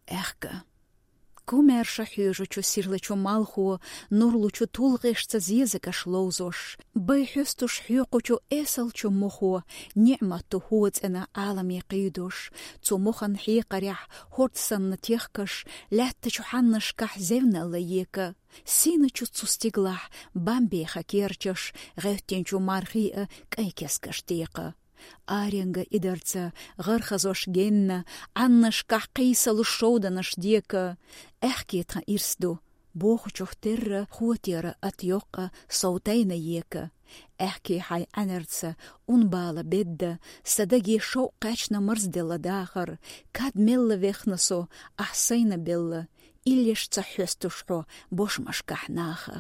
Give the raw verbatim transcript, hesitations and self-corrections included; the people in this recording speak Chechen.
Аьхка. Кумаьрша хьоьжучу сирлачу малхо, нур лучу тулгӀешца зезагаш ловзош, бай хьоьстуш хьоькхучу эсалчу мохо, ниӀмату хӀоцӀена Ӏаламе кхийдош, цу мохан хьекхарехь хӀорд санна техкаш, лаьттачу хьаннашкахь зевналла ека, сийначу цу стиглахь бамбеха керчаш, гӀевттинчу мархий а кӀайн кескаш текха. Аренга идарца гӀархазош генна, Ӏаннашкахь кхийсалуш шовданаш дека, аьхке тхан ирс ду, бохучух терра хотера ат йоккха сов тайна ека. Аьхке хьай Ӏанарца ун бала бедда, са даге шовкъ кхаьчна марзделла дахар, кад мелла вехна со, ахь сайна белла, иллеш ца хьоьстуш хьо бошмашкахь наха.